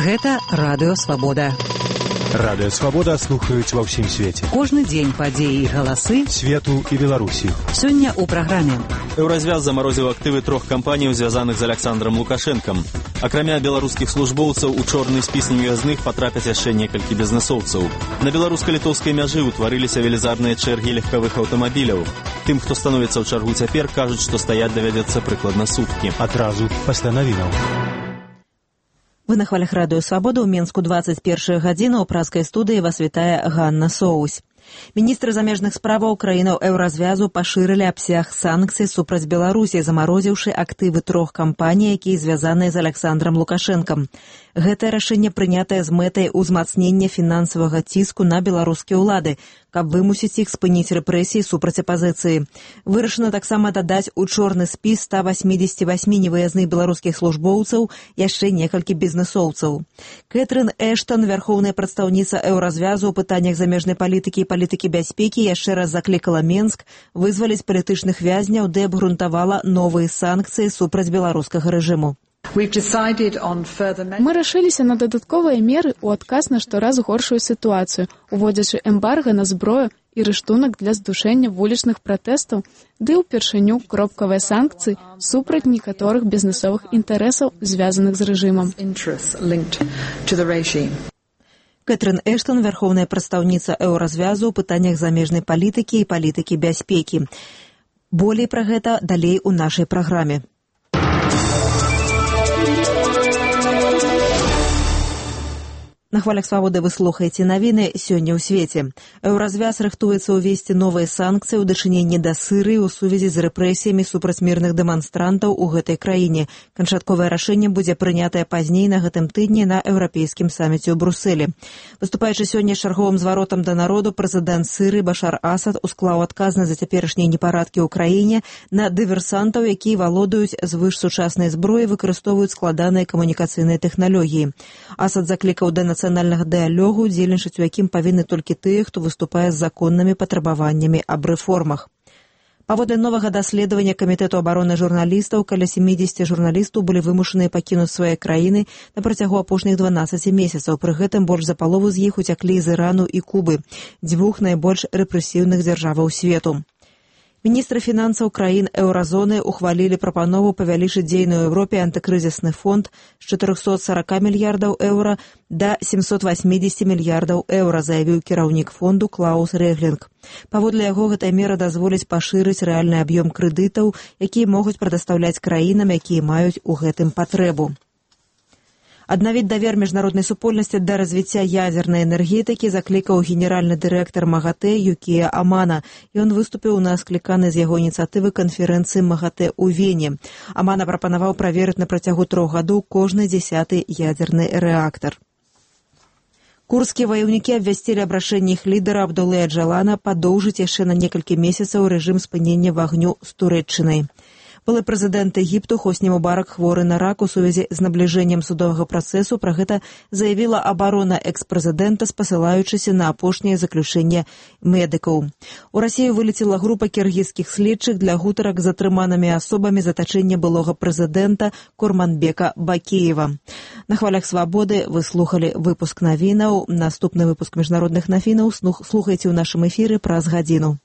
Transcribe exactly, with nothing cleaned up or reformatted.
Гэта Радыё Свабода. Радыё Свабода слухаюць ва ўсім свеце. Кожны дзень падзеі і галасы свету і Беларусі. Сёння ў праграме. Еўразвяз замарозіў актывы трох кампаній, звязаных з Аляксандрам Лукашэнкам. Акрамя беларускіх службоўцаў, у чорны спіс невязных патрапяць яшчэ некалькі бізнэсоўцаў. На беларуска-літоўскай мяжы ўтварыліся велізарныя чэргі легкавых аўтамабіляў. Тым, хто становіцца ў чаргу цяпер, кажуць, што стаяць давядзецца прыкладна суткі. Адразу пасля навінаў. Вы на хвалях Радыё Свабода. У Менску двадцать першая гадзіна. У праскай студыі вас вітае Ганна Соусь. Міністры замежных справаў краінаў Еўразвязу пашырылі абсяг санкцый супраць Беларусі, замарозіўшы актывы трох кампаній, якія звязаныя з Аляксандрам Лукашэнкам. Гэтае рашэнне прынятае з мэтай узмацнення фінансавага ціску на беларускія ўлады, каб вымусіць іх спыніць рэпрэсіі супраць апазіцыі. Вырашана таксама дадаць у чорны спіс ста васьмідзесят восьм невыязных беларускіх службоўцаў, яшчэ некалькі бізнэсоўцаў. Кэтрын Эштон, вярхоўная прадстаўніца Еўразвязу ў пытаннях замежнай палітыкі і палітыкі бяспекі, яшчэ раз заклікала Менск вызваліць палітычных вязняў, ды абгрунтавала новыя санкцыі супраць беларускага рэжыму. Мы рашыліся на дадатковыя меры ў адказ на штораз горшую сітуацыю, уводзячы эмбарга на зброю і рыштунак для здушэння вулічных пратэстаў, ды ўпершыню кропкавыя санкцыі супраць некаторых бізнэсовых інтарэсаў, звязаных з рэжымам. Кэтрын Эштон, вярхоўная прадстаўніца Еўразвязу ў пытаннях замежнай палітыкі і палітыкі бяспекі. Болей пра гэта далей у нашай праграме. На хвалях Свабоды вы слухаеце навіны сёння ў свеце. Еўразвяз рыхтуецца ўвесці новыя санкцыі ў дачыненні да Сырыі ў сувязі з рэпрэсіямі супраць мірных дэманстрантаў у гэтай краіне. Канчатковае рашэнне будзе прынятае пазней на гэтым тыдні на еўрапейскім саміце ў Брусэлі. Выступаючы сёння з чарговым зваротам да народу, прэзідэнт Сырыі Башар Асад усклаў адказнасць за цяперашнія непарадкі ў краіне на дыверсантаў, якія валодаюць звышсучаснай зброі, выкарыстоўваюць складаныя камунікацыйныя тэхналогіі. Асад заклікаў да нацыянальнага дыялогу, удзельнічаць у якім павінны толькі тыя, хто выступае з законнымі патрабаваннямі аб рэформах. Паводле новага даследавання Камітэту абароны журналістаў, каля сямідзесят журналістаў былі вымушаныя пакінуць свае краіны на працягу апошніх дванаццаці месяцаў. Пры гэтым больш за палову з іх уцяклі з Ірану і Кубы, дзвюх найбольш рэпрэсіўных дзяржаваў свету. Міністры фінансаў краін еўразоны ухвалілі прапанову павялічыць дзейны ў Еўропе антыкрызісны фонд з чатырохсот сорока мільярдаў еўра да семьсот восемьдесят мільярдаў еўра, заявіў кіраўнік фонду Клаус Рэглінг. Паводле яго, гэтая мера дазволіць пашырыць рэальны аб'ём крэдытаў, якія могуць прадастаўляць краінам, якія маюць у гэтым патрэбу. Аднавіць давер міжнароднай супольнасці да развіцця ядзернай энергетыкі заклікаў генеральны дырэктар МАГАТЭ Юкія Амана. Ён выступіў на скліканай з яго ініцыятывы канферэнцыі МАГАТЭ ў Вене. Амана прапанаваў праверыць на працягу трох гадоў кожны дзясяты ядзерны рэактар. Курдскія ваяўнікі абвясцілі аб рашэнні іх лідара Абдулы Аджалана падоўжыць яшчэ на некалькі месяцаў рэжым спынення вагню з Турэччынай. Былы прэзідэнт Егіпту Хосні Мубарак хворы на рак. У сувязі з набліжэннем судовага працэсу. Пра гэта заявіла абарона экс-прэзідэнта, спасылаючыся на апошняе заключэнне медыкаў. У Расію вылецела група кіргізскіх следчых для гутарак з затрыманымі асобамі затачэння былога прэзідэнта Курманбека Бакеева. На хвалях Свабоды вы слухалі выпуск навінаў. Наступны выпуск міжнародных навінаў слухайце ў нашым эфіры праз гадзіну.